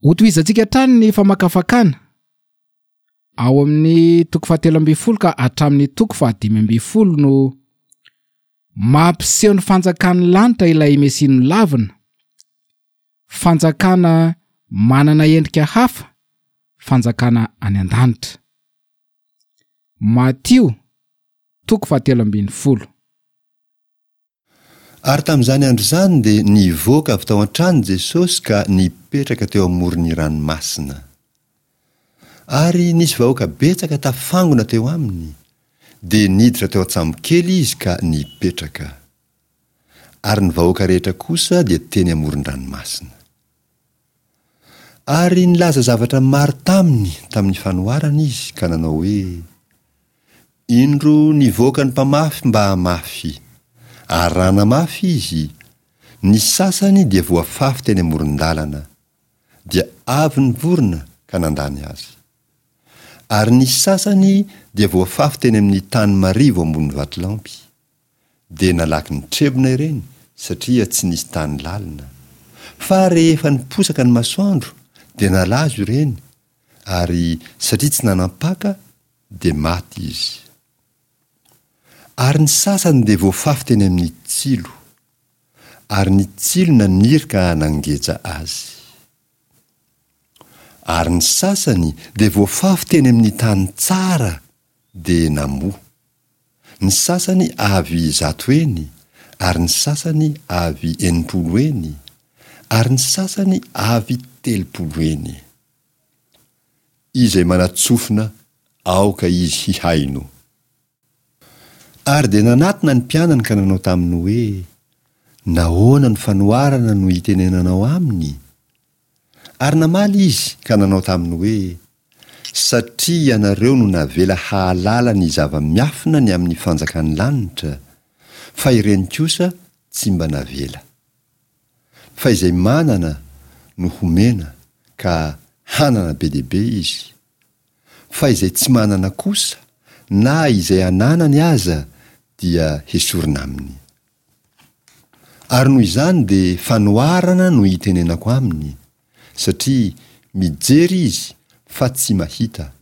Hotohizantsika hatrany ny famakafakana ao amin'ny toko fahatelo ambin'ny folo ka hatramin'ny toko fahadimy ambin'ny folo no mampiseho ny fanjakan'ny lanitra ilay Mesia nolavina, fanjakana manana endrika hafa, fanjakana any an-danitra. Matio toko fahatelo ambin'ny folo. Ary tamin'izany andro izany dia nivoaka avy tao an-trano Jesosy ka nipetraka teo amoron'ny ranomasina. Ary nisy vahoaka betsaka tafangona teo aminy, dia niditra teo an-tsambokely izy ka nipetraka. Ary ny vahoaka rehetra kosa dia teny amoron-dranomasina. Ary nilaza zavatra maro taminy tamin'ny fanoharana izy ka nanao hoe, Indro nivoaka ny mpamafy mba hamafy, ary raha namafy izy, ny sasany dia voafafy teny amoron-dalana, dia avy ny vorona ka nandany azy. Ary ny sasany dia voafafy teny amin'ny tany marivo ambony vatolampy, dia nalaky nitrebona ireny satria tsy nisy tany lalina. Fa rehefa niposaka ny masoandro dia nalazo ireny, ary satria tsy nanam-paka dia maty izy. Ary ny sasany dia voafafy teny amin'ny tsilo, ary ny tsilo naniry ka nangeja azy. Ary ny sasany dia voafafy teny amin'ny tany tsara dia namoa. Ny sasany avy zato heny, ary ny sasany avy 60 heny, ary ny sasany avy 30 heny. Izay manatsofina aoka izy hihaino. Ary dia nanatona ny mpianany ka nanao taminy hoe, Nahoana no fanoharana no itenenanao aminy? Ary namaly izy ka nanao taminy hoe, Satria ianareo no navela hahalala ny zava-miafina ny amin'ny fanjakan'ny lanitra, fa ireny kosa tsy mba navela. Fa izay manana no homena ka hanana be dia be izy, fa izay tsy manana kosa, na izay ananany aza dia hesorina aminy. Ary noho izany dia fanoharana no itenenako aminy, satria mijery izy fa tsy mahita,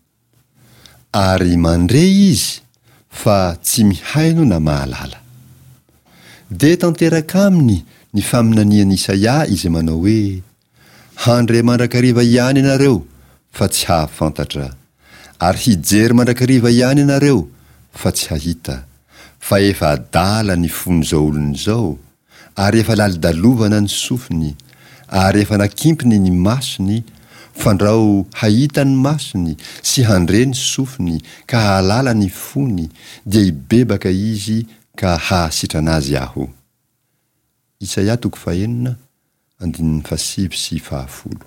ary mandre izy fa tsy mihaino na mahalala. Dia tanteraka aminy ny faminanian'i Isaia izay manao hoe, Handre mandrakariva ihany ianareo fa tsy hahafantatra, ary hijery mandrakariva ihany ianareo fa tsy hahita, fa efa adala ny fon'izao olona izao, ary efa lalodalovana ny sofiny, ary efa nakimpiny ny masony, fandrao hahita ny masony sy handre ny sofiny ka hahalala ny fony, dia hibebaka izy ka hahasitrana azy Aho. Isaia toko fahenina, andininy fahasivy sy fahafolo.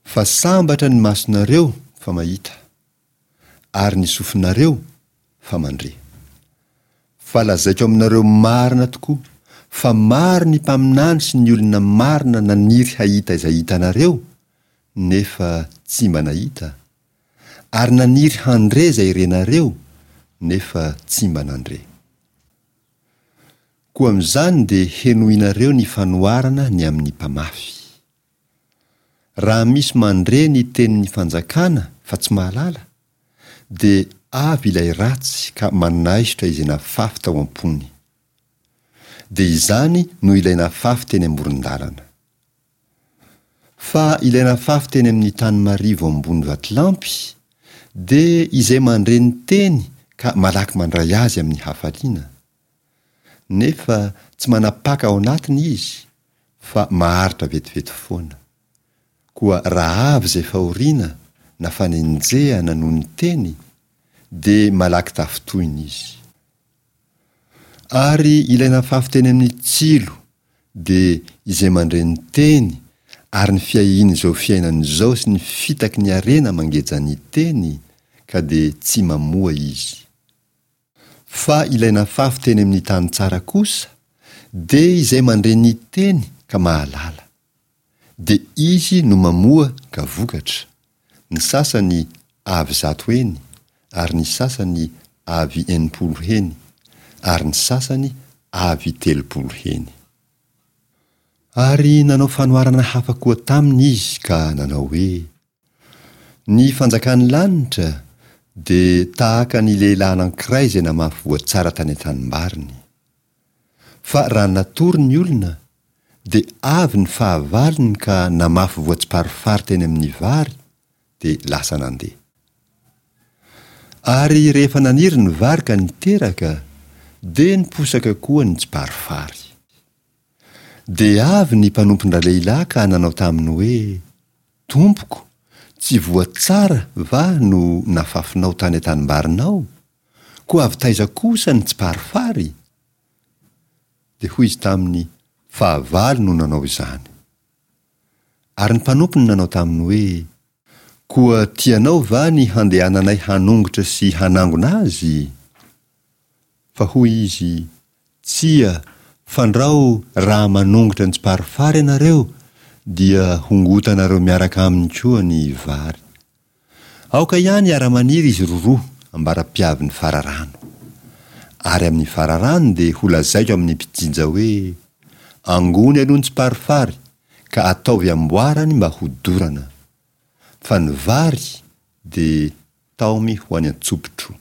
Fa sambatra ny masonareo fa mahita, ary ny sofinareo fa mandre. Fa lazaiko aminareo marina tokoa fa maro ny mpaminany sy ny olona marina naniry hahita izay hitanareo, nefa tsy mba nahita, ary naniry handre izay renareo, nefa tsy mba nandre. Koa amin'izany dia henoinareo ny fanoharana ny amin'ny mpamafy. Raha misy mandre ny tenin'ny fanjakana fa tsy mahalala, dia avy ilay ratsy ka manaisotra izay nafafy tao am-pony. Dia izany no ilay nafafy teny amoron-dalana. Fa ilay nafafy teny amin'ny tany marivo ambony vatolampy dia izay mandre ny teny ka malaky mandray azy amin'ny hafaliana. Nefa tsy manapaka ao anatiny izy fa maharitra vetivety foana. Koa raha avy izay fahoriana na fanenjehana noho ny teny dia malaky tafintohina izy. Ary ilay nafafy teny amin'ny tsilo dia izay mandre ny teny ary ny fiahiana izao fiainana izao sy ny fitaky ny harena mangeja ny teny ka dia tsy mamoa izy. Fa ilay nafafy teny amin'ny tany tsara kosa dia izay mandre ny teny ka mahalala. Dia izy no mamoa ka vokatra, ny sasany avy zato heny, ary ny sasany avy 60 heny, ary ny sasany avy 30 heny. Ary nanao fanoharana hafa koa taminy izy ka nanao hoe, Ny fanjakan'ny lanitra dia tahaka ny lehilahy anankiray izay namafy voa tsara tany an-tanimbariny. Fa raha natory ny olona, dia avy ny fahavalony ka namafy voa tsiparifary teny amin'ny vary, dia lasa nandeha. Ary rehefa naniry ny vary ka niteraka, dia niposaka koa ny tsiparifary. Dia avy ny mpanompon-dralehilahy ka nanao taminy hoe, Tompoko, tsy voa tsara va no nafafinao tany an-tanimbarinao? Koa avy taiza kosa ny tsiparifary? Dia hoy izy taminy, Fahavalo no nanao izany. Ary ny mpanompony nanao taminy hoe, Koa tianao va ny handehananay hanongotra sy hanangona azy? Fa hoy izy, Tsia, fandrao raha manongotra ny tsiparifary ianareo, dia hongotanareo miaraka aminy koa ny vary. Aoka ihany hiara-maniry izy roroa ambara-piavin'ny fararano. Ary amin'ny fararano dia holazaiko amin'ny mpijinja hoe, Angony aloha ny tsiparifary, ka ataovy amboarany mba hodorana. Fa ny vary dia taomy ho any an-tsopitro.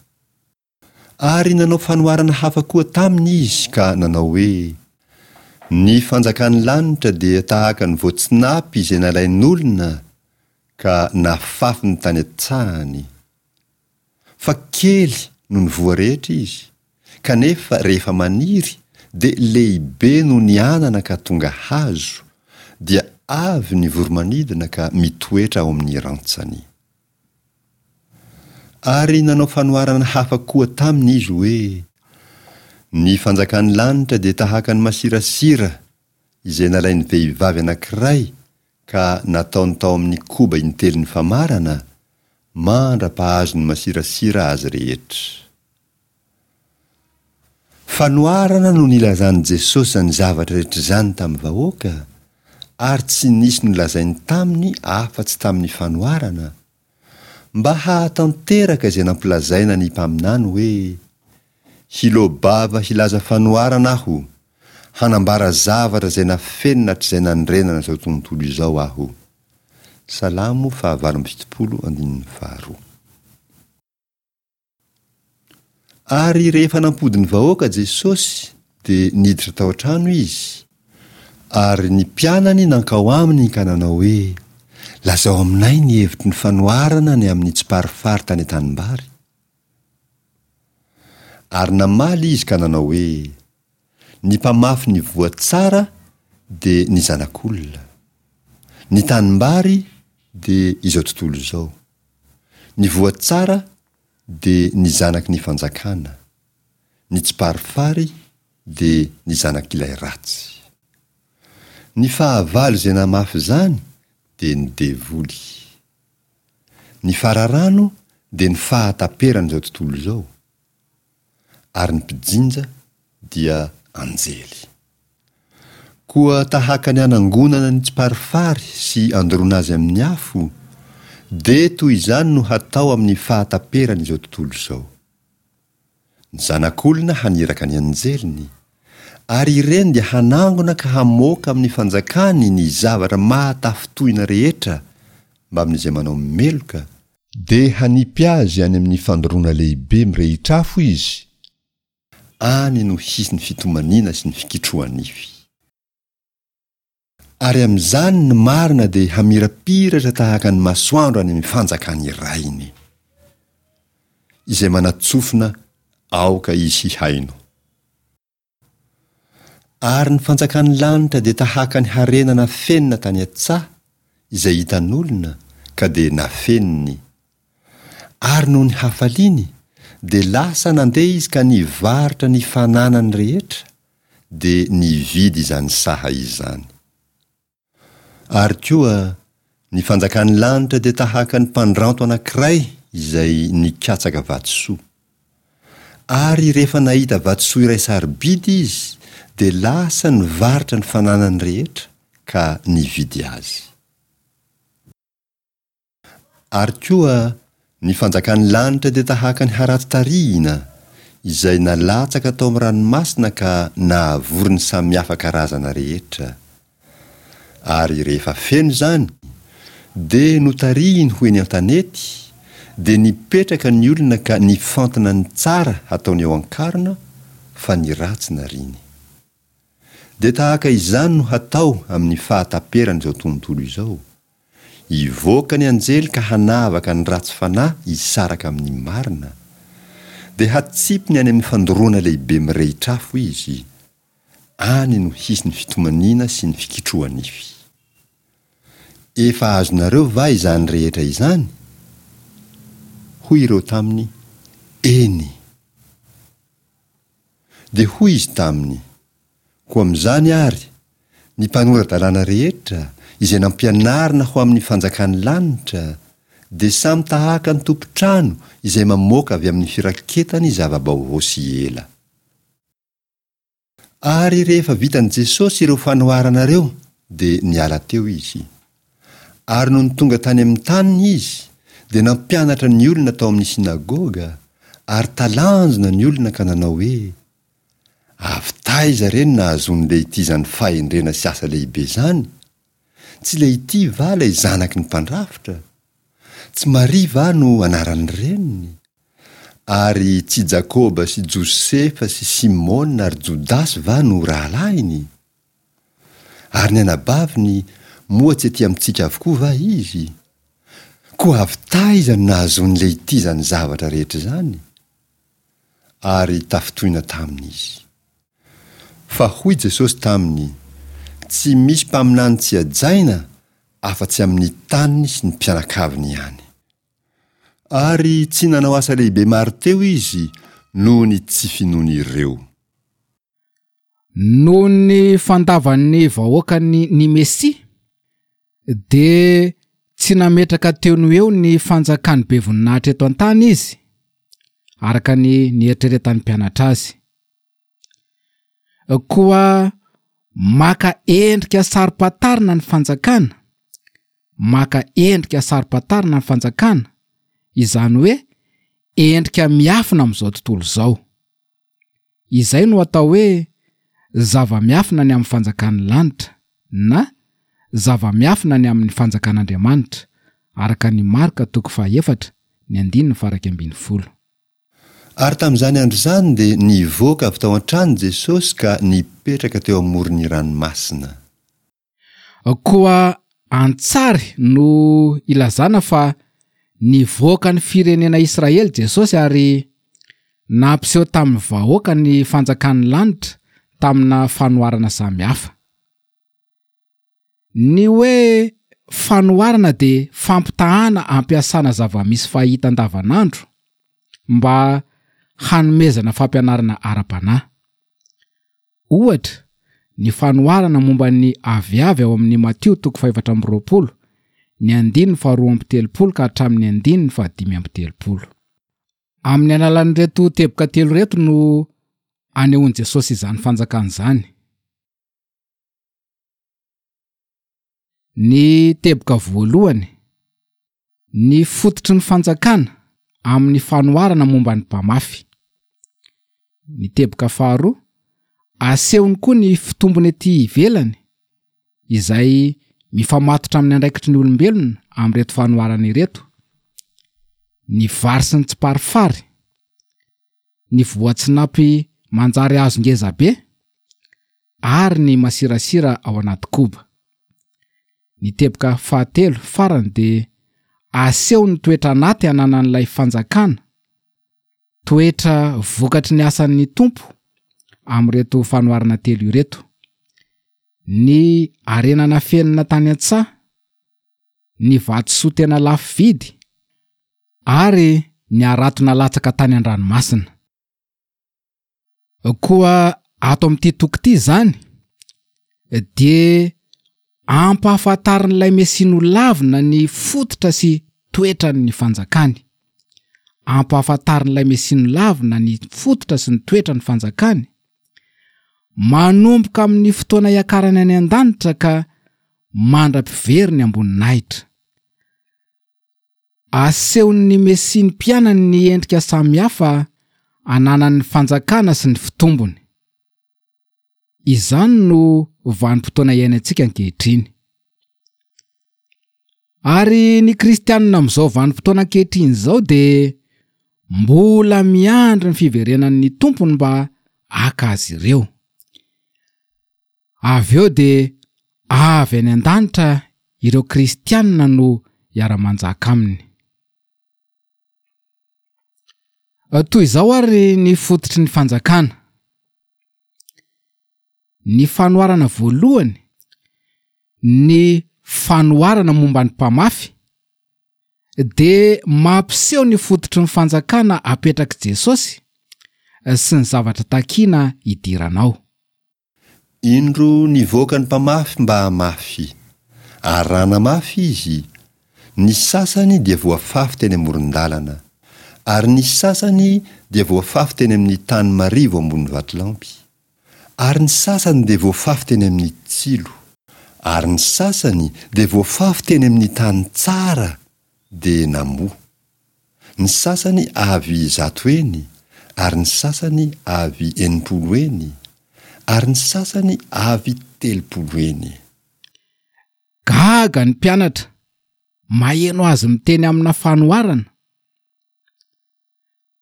Ary nanao fanoharana hafa koa taminy izy ka nanao hoe, Ny fanjakan'ny lanitra dia tahaka ny voatsinapy izay nalain'olona ka nafafiny tany an-tsahany. Fa kely noho ny voa rehetra izy, kanefa rehefa maniry dia lehibe noho ny anana ka tonga hazo, dia avy ny voro-manidina ka mitoetra ao amin'ny rantsany. Ary nanao fanoharana hafa koa taminy izy hoe, Ny fanjakan'ny lanitra dia tahaka ny masirasira izay nalain'ny vehivavy anankiray ka nataony tao amin'ny koba intelon'ny famarana, mandra-pahazony masirasira azy rehetra. Fanoharana no nilazan'i Jesosy izany zavatra rehetra izany tamin'ny vahoaka, ary tsy nisy nolazainy taminy afa-tsy tamin'ny fanoharana, mba hahatanteraka izay nampilazaina ny mpaminany hoe, Hiloa-bava hilaza fanoharana aho, hanambara zavatra izay nafenina hatrizay nanorenana izao tontolo izao aho. Salamo faha-78 andininy faharoa. Ary rehefa nampody ny vahoaka Jesosy, dia niditra tao an-trano Izy, ary ny mpianany nankao aminy ka nanao hoe, Lazao aminay ny hevitry ny fanoharana ny amin'ny tsiparifary tany an-tanimbary. Ary namaly Izy ka nanao hoe, Ny mpamafy ny voa tsara dia ny Zanak'olona. Ny tanimbary dia izao tontolo izao. Ny voa tsara dia ny zanaky ny fanjakana, ny tsiparifary dia ny zanak'ilay ratsy. Ny fahavalo izay namafy izany dia ny devoly. Ny fararano dia ny fahataperan'izao tontolo izao, ary ny mpijinja dia anjely. Koa tahaka ny anangonana ny tsiparifary sy andoroana azy amin'ny afo, dia toy izany no hatao amin'ny fahataperan'izao tontolo izao. Ny Zanak'olona haniraka ny anjeliny, ary ireny dia hanangona ka hamoaka amin'ny fanjakany ny zavatra mahatafintohina rehetra mbamin'izay manao meloka, Dia hanipy azy any amin'ny fandoroana lehibe mirehitr'afo izy, any no hisy ny fitomaniana sy ny fikitroha-nify. Ary amin'izany ny marina dia hamirapiratra tahaka ny masoandro any amin'ny fanjakan'ny Rainy. Izay manan-tsofina aoka izy hihaino. Ary ny fanjakan'ny lanitra dia tahaka ny harena nafenina tany an-tsaha, izay hitan'olona, ka dia nafeniny. Ary noho ny hafaliany, dia lasa nandeha izy ka nivarotra ny fananany rehetra, dia nividy izany saha izany. Ary koa, ny fanjakan'ny lanitra dia tahaka ny mpandranto anankiray izay nikatsaka vatosoa. Ary rehefa nahita vatosoa iray sarobidy izy, dia lasa nivarotra ny fananany rehetra ka nividy azy. Ary koa, ny fanjakan'ny lanitra dia tahaka ny harato tarihina, izay nalatsaka tao amin'ny ranomasina ka nahavory ny samihafa karazana rehetra. Ary rehefa feno izany, dia notarihiny ho eny an-tanety, dia nipetraka ny olona ka nifantina ny tsara hataony eo an-karona, fa ny ratsy nariany. Dia tahaka izany no hatao amin'ny fahataperan'izao tontolo izao. Hivoaka ny anjely ka hanavaka ny ratsy fanahy hisaraka amin'ny marina. Dia hatsipiny any amin'ny fandoroana lehibe mirehitr'afo izy. Any no hisy ny fitomaniana sy ny fikitroha-nify. Efa azonareo va izany rehetra izany? Hoy ireo taminy, Eny. Dia hoy izy taminy, Koa amin'izany àry, ny mpanora-dalàna rehetra, izay nampianarina ho amin'ny fanjakan'ny lanitra, dia samy tahaka ny tompon-trano izay mamoaka avy amin'ny firaketany zava-baovao sy ela. Ary rehefa vitan'i Jesosy ireo fanoharana ireo, dia niala teo izy. Ary nony tonga tany amin'ny taniny izy, dia nampianatra ny olona tao amin'ny synagoga, ary talanjona ny olona ka nanao hoe, Avy taiza re no nahazoan'i Lehity izany fahendrena sy asa lehibe izany? Tsy Lehity va ilay zanaky ny mpandrafitra? Tsy Maria va no anaran'ny reniny? Ary tsy Jakoba sy Josefa sy Simona ary Jodasy va no rahalahiny? Ary ny anabaviny, moa tsy ety amintsika avokoa va izy? Koa avy taiza no nahazoan'i Lehity izany zavatra rehetra izany? Ary tafintohina taminy izy. Fa hoy Jesosy taminy, Tsy misy mpaminany tsy hajaina afa-tsy amin'ny taniny sy ny mpianakaviny ihany. Ary tsy nanao asa lehibe maro teo izy noho ny tsy finoan'ireo. Noho ny fandavan'ny vahoakany ny Mesia, dia tsy nametraka teo no eo ny fanjakany be voninahitra eto an-tany izy, araka ny nieritreretan'ny mpianatra azy. Koa maka endrika saro-pantarina ny fanjakana, maka endrika saro-pantarina ny fanjakana, izany hoe endrika miafina amin'izao tontolo izao. Izay no atao hoe zava-miafina ny amin'ny fanjakan'ny lanitra na zava-miafina ny amin'ny fanjakan'Andriamanitra, araka ny Marka toko fahaefatra, ny andininy faha-11. Ary tamin'izany andro izany dia nivoaka avy tao an-trano Jesosy ka nipetraka teo amoron'ny ranomasina. Koa an-tsary no ilazana fa nivoaka ny firenena Israely Jesosy ary nampiseho tamin'ny vahoaka ny fanjakan'ny lanitra tamina fanoharana samihafa. Ny hoe fanoharana dia fampitahana ampiasana zava-misy fahita andavanandro mba hanomezana fampianarana ara-panahy. Ohatra, ny fanoharana momba ny aviavy ao amin'ny Matio toko fahefatra amby 20, ny andininy faharoa amby 30 ka hatramin'ny andininy fahadimy amby 30. Amin'ny alalan'ireto teboka telo ireto no anehoan'i Jesosy izany fanjakana izany. Ny teboka voalohany, ny fototry ny fanjakana amin'ny fanoharana momba ny mpamafy. Ny teboka faharoa, asehony koa ny fitombony ety ivelany izay mifamatotra amin'ny andraikitry ny olombelona amin'ireto fanoharana ireto, ny vary sy ny tsiparifary, ny voatsinapy manjary hazo ngeza be ary ny masirasira ao anaty koba. Ny teboka fahatelo farany dia aseho ny toetra anaty ananan'ilay fanjakana, toetra vokatry ny asan'ny Tompo amin'ireto fanoharana telo ireto, ny harena nafenina tany an-tsaha, ny vatosoa tena lafo vidy ary ny harato nalatsaka tany an-dranomasina. Koa ato amin'ity toko ity izany dia ampahafantarin'ilay Mesia nolavina ny fototra sy toetran'ny fanjakany. Ampahafantarin'ilay Mesia nolavina ny fototra sy ny toetran'ny fanjakany. Manomboka amin'ny fotoana hiakarany any an-danitra ka mandra-piveriny am-boninahitra. Asehon'ny Mesia ny mpianany ny endrika samihafa ananan'ny fanjakana sy ny fitombony. Izany no vanim-potoana iainantsika ankehitriny. Ary ny kristianina amin'izao vanim-potoana ankehitriny izao dia mbola miandry ny fiverenan'ny Tompony mba haka azy ireo. Avy eo dia avy any an-danitra ireo kristianina no hiara-manjaka aminy. Toy izao ary ny fototry ny fanjakana. Ny fanoharana voalohany, ny fanoharana momba ny mpamafy, dia mampiseho ny fototry ny fanjakana apetrak'i Jesosy sy ny zavatra takina hidirana ao. Indro nivoaka ny mpamafy mba hamafy, ary raha namafy izy, ny sasany dia voafafy teny amoron-dalana, ary ny sasany dia voafafy teny amin'ny tany marivo ambony vatolampy. Ary ny sasany dia voafafy teny amin'ny tsilo. Ary ny sasany dia voafafy teny amin'ny tany tsara dia namoa. Ny sasany avy zato heny, ary ny sasany avy 60 heny, ary ny sasany avy 30 heny. Gaga ny mpianatra maheno azy miteny amina fanoharana.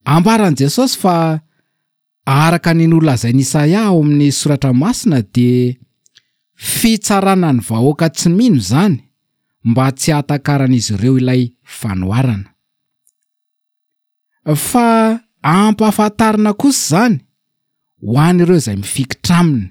Ambaran'i Jesosy fa araka ny nolazain'i Isaia ao amin'ny Soratra Masina dia fitsarana ny vahoaka tsy mino izany mba tsy hahatakaran'izy ireo ilay fanoharana. Fa ampahafantarina kosa izany ho an'ireo izay mifikitra aminy.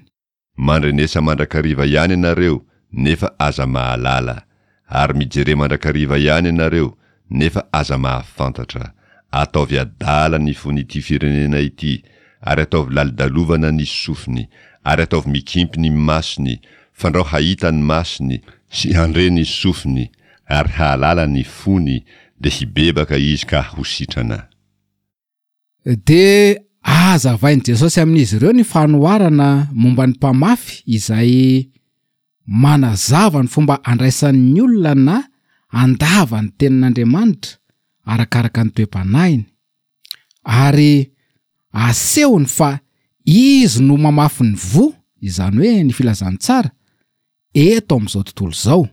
Mandrenesa mandrakariva ihany ianareo nefa aza mahalala, ary mijere mandrakariva ihany ianareo nefa aza mahafantatra. Ataovy adala ny fon'ity firenena ity, ary ataovy lalodalovana ny sofiny, ary ataovy mikimpy ny masony, fandrao hahita ny masony, sy handre ny sofiny, ary hahalala ny fony, dia hibebaka izy ka ho sitrana. Dia hazavain'i Jesosy amin'izy ireo ny fanoharana momba ny mpamafy izay manazava ny fomba andraisan'ny olona na handava ny tenin'Andriamanitra arakaraka ny toe-panahiny, ary asehony fa izy no mamafy ny voa, izany hoe ny filazantsara, eto amin'izao tontolo izao.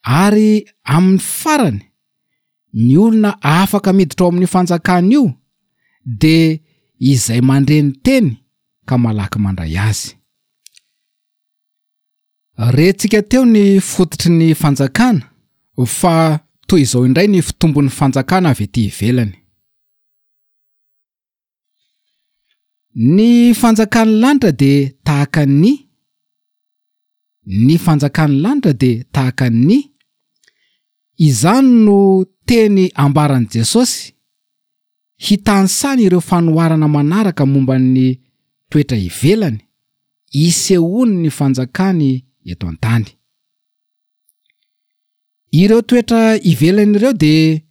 Ary amin'ny farany, ny olona afaka miditra ao amin'io fanjakana io dia izay mandre ny teny ka malaky mandray azy. Rentsika teo ny fototry ny fanjakana fa toy izao indray ny fitombon'ny fanjakana avy ety ivelany. Ny fanjakan'ny lanitra dia tahaka ny Ny fanjakan'ny lanitra dia tahaka ny Izany no teny ambaran'i Jesosy hitanisany ireo fanoharana manaraka momba ny toetra ivelany isehoan'ny fanjakany eto an-tany. Ireo toetra ivelany ireo dia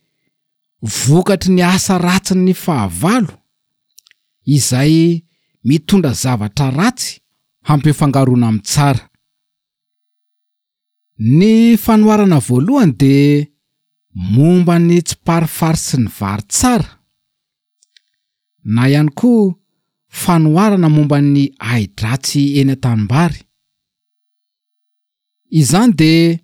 vokatry ny asa ratsin'ny fahavalo izay mitondra zavatra ratsy hampifangaroana amin'ny tsara. Ny fanoharana voalohany dia momba ny tsiparifary sy ny vary tsara, na ihany koa fanoharana momba ny ahi-dratsy eny an-tanimbary. Izany dia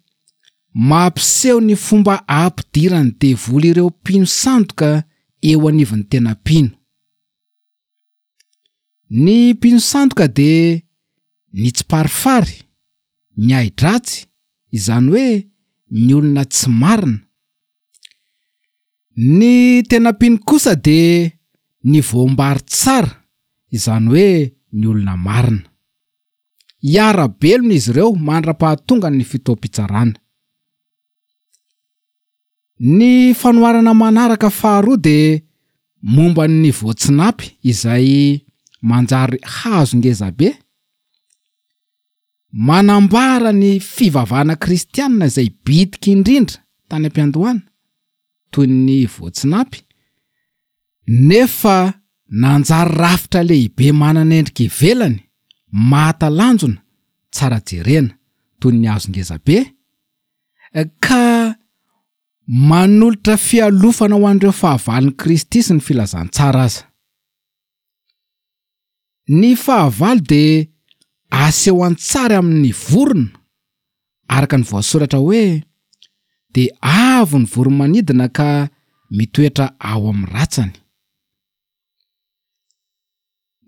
mampiseho ny fomba ampidiran'ny devoly ireo mpino sandoka eo anivon'ny tena mpino. Ny mpino sandoka dia ny tsiparifary, ny ahi-dratsy, izany hoe ny olona tsy marina. Ny tena mpino kosa dia ny voambary tsara, izany hoe ny olona marina. Hiara-belona izy ireo mandra-pahatongan'ny fotoam-pitsarana. Ny fanoharana manaraka faharoa dia momba ny voatsinapy izay manjary hazo ngezabe. Manambara ny fivavahana kristianina izay bitika indrindra tany am-piandohana, toy ny voatsinapy, nefa nanjary rafitra lehibe manana endrika ivelany mahatalanjona tsara jerena toy ny hazo ngezabe, ka manolotra fialofana ho an'ireo fahavalon'i Kristy sy ny filazantsara aza. Ny fahavalo dia aseho an-tsary amin'ny vorona, araka ny voasoratra hoe. dia avo ny voro-manidina ka mitoetra ao amin'ny ratsany.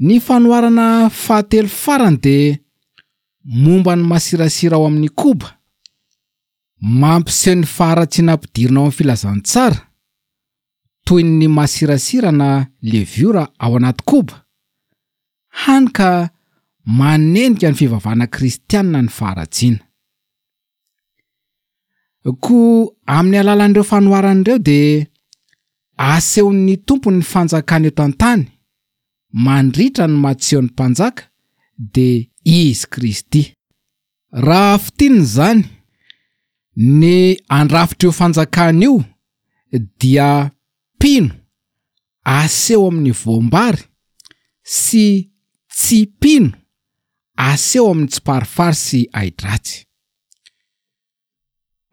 Ny fanoharana fahatelo farany dia momba ny masirasira ao amin'ny koba, mampiseho ny faharatsiana ampidirina ao amin'ny filazantsara, toy ny masirasira na leviora ao anaty koba, hany ka manenika ny fivavahana kristianina ny faharatsiana. Koa amin'ny alalan'ireo fanoharana ireo dia asehon'ny Tompo ny fanjakany eto an-tany mandritra ny maha-tsy eo ny Mpanjaka dia Izy Kristy. Raha fintinina izany, ny andrafitr'io fanjakana io dia mpino aseho amin'ny voam-bary sy tsy mpino aseho amin'ny tsiparifary sy ahi-dratsy.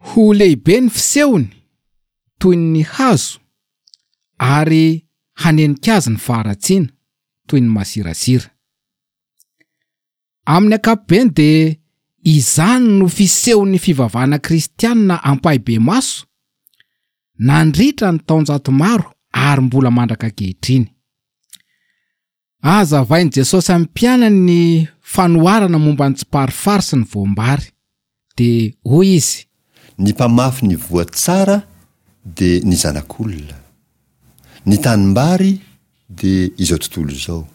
Ho lehibe ny fisehony toy ny hazo ary hanenika azy ny faharatsiana toy ny masirasira. Amin'ny ankapobeny dia izany no fisehon'ny fivavahana kristianina ampahibemaso nandritra ny taonjato maro ary mbola mandraka ankehitriny. Hazavain'i Jesosy amin'ny mpianany ny fanoharana momba ny tsiparifary sy ny voam-bary. Dia hoy izy. Ny mpamafy ny voa tsara dia ny Zanak'olona. Ny tanimbary dia izao tontolo izao.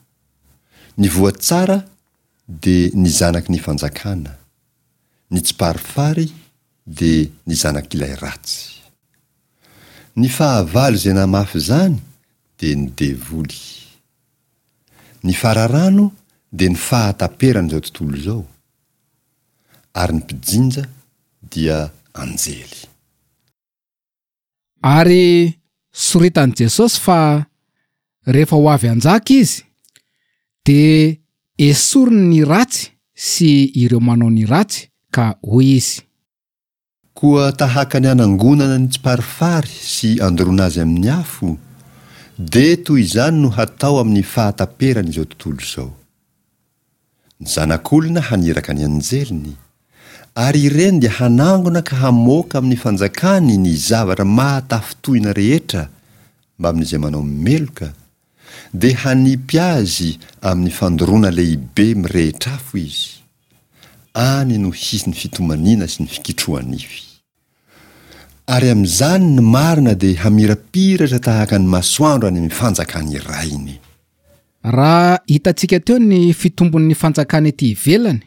Ny voa tsara dia ny zanaky ny fanjakana. Ny tsiparifary dia ny zanak'ilay ratsy. Ny fahavalo izay namafy izany dia ny devoly. Ny fararano dia ny fahataperan'izao tontolo izao, ary ny mpijinja dia anjely. Ary soritan'i Jesosy fa rehefa ho avy hanjaka Izy, dia esoriny ny ratsy sy ireo manao ny ratsy, ka hoy Izy. Koa tahaka ny anangonana ny tsiparifary sy andoroana azy amin'ny afo, dia toy izany no hatao amin'ny fahataperan' izao tontolo izao. Ny Zanak'olona haniraka ny anjeliny, ary ireny dia hanangona ka hamoaka amin'ny fanjakany ny zavatra mahatafintohina rehetra mbamin'izay manao meloka, dia hanipy azy amin'ny fandoroana lehibe mirehitra afo izy. Any no hisy ny fitomaniana sy ny fikitroha-nify. Ary amin'izany ny marina dia hamirapiratra tahaka ny masoandro any amin'ny fanjakan'ny Rainy. Raha hitantsika teo ny fitombon'ny fanjakana ety ivelany,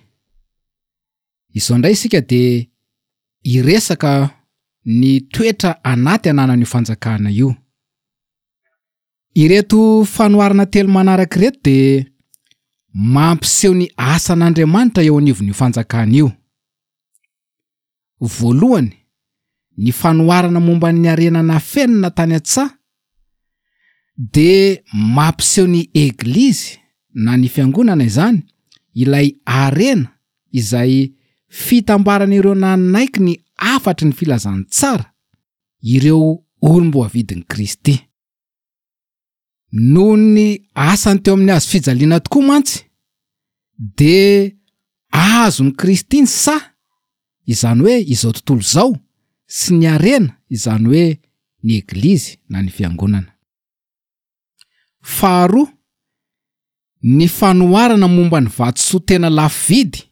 izao indray isika dia hiresaka ny toetra anaty ananan'io fanjakana io. Ireto fanoharana telo manaraka ireto dia mampiseho ny asan'Andriamanitra eo anivon'io fanjakana io. Voalohany, ny fanoharana momba ny harena nafenina tany an-tsaha dia mampiseho ny Eglizy na ny Fiangonana izany, ilay harena izay fitambaran'ireo nanaiky ny hafatry ny filazantsara, ireo olom-boavidin'i Kristy. Noho ny asany teo amin'ny hazo fijaliana tokoa mantsy dia azon'i Kristy ny saha, izany hoe izao tontolo izao, sy ny harena, izany hoe ny Eglizy na ny Fiangonana. Faharoa, ny fanoharana momba ny vatosoa tena lafo vidy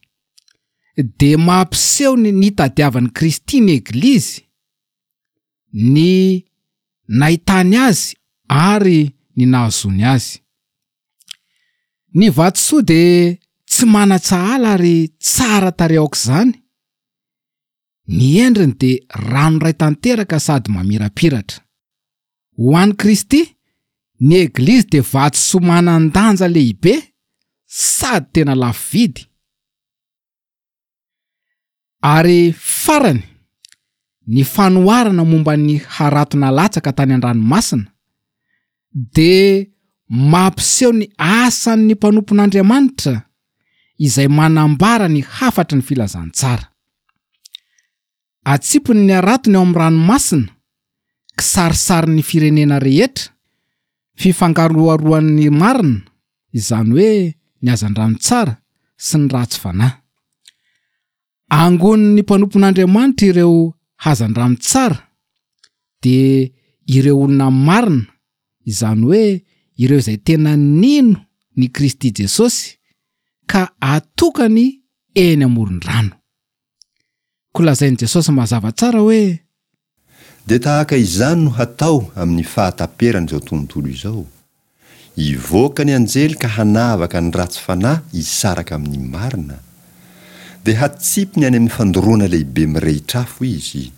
dia mampiseho ny nitadiavan'i Kristy ny Eglizy, ny nahitany azy ary ny nahazoany azy. Ny vatosoa dia tsy manan-tsahala ary tsara tarehy aok'izany, ny endriny dia ranoray tanteraka sady mamirapiratra. Ho an'i Kristy, ny Eglizy dia vatosoa manan-danja lehibe sady tena lafo vidy. Ary farany, ny fanoharana momba ny harato nalatsaka tany an-dranomasina dia mampiseho ny asan'ny mpanompon'Andriamanitra izay manambara ny hafatry ny filazantsara. Atsipiny ny haratony ao amin'ny ranomasina, kisarisarin'ny firenena rehetra, fifangaroharoan'ny marina, izany hoe ny hazandrano tsara sy ny ratsy fanahy. Angonin'ny mpanompon'Andriamanitra ireo hazandrano tsara dia ireo olona marina, izany hoe ireo izay tena nino ny Kristy Jesosy ka atokany eny amoron-drano. Koa lazain'i Jesosy mazava tsara hoe. Dia tahaka izany no hatao amin'ny fahataperan'izao tontolo izao. Hivoaka ny anjely ka hanavaka ny ratsy fanahy hisaraka amin'ny marina. Dia hatsipiny any amin'ny fandoroana lehibe mirehitr'afo izy.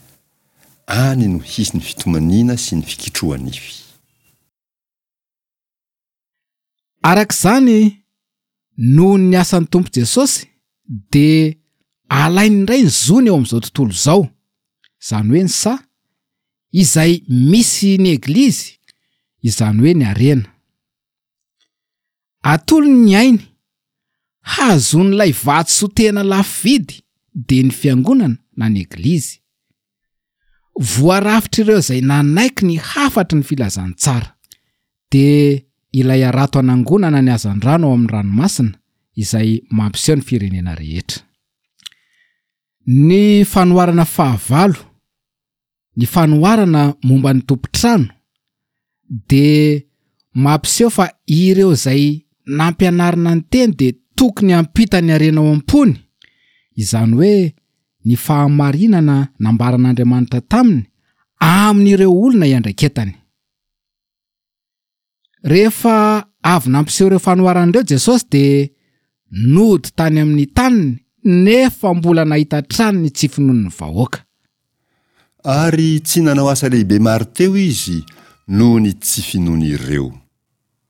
Any no hisy ny fitomaniana sy ny fikitroha-nify. Araka izany, noho ny asan'ny Tompo Jesosy, dia alainy indray ny zony eo amin'izao tontolo izao, izany hoe ny saha, izay misy ny Eglizy, izany hoe ny harena. Atolony ny ainy, hahazoan'ilay vatosoa tena lafo vidy, dia ny Fiangonana na ny Eglizy. Voarafitr'ireo izay nanaiky ny hafatry ny filazantsara, dia ilay harato anangonana ny hazandrano ao amin'ny ranomasina izay mampiseho ny firenena rehetra. Ny fanoharana fahavalo, ny fanoharana momba ny tompon-trano, dia mampiseho fa ireo izay nampianarina ny teny dia tokony hampita ny harena ao am-pony, izany hoe ny fahamarinana nambaran'Andriamanitra taminy amin'ireo olona iandraiketany. Rehefa avy nampiseho ireo fanoharana ireo Jesosy dia nody tany amin'ny taniny nefa mbola nahita hatrany ny tsy finoan'ny vahoaka. Ary tsy nanao asa lehibe maro teo izy noho ny tsy finoan'ireo.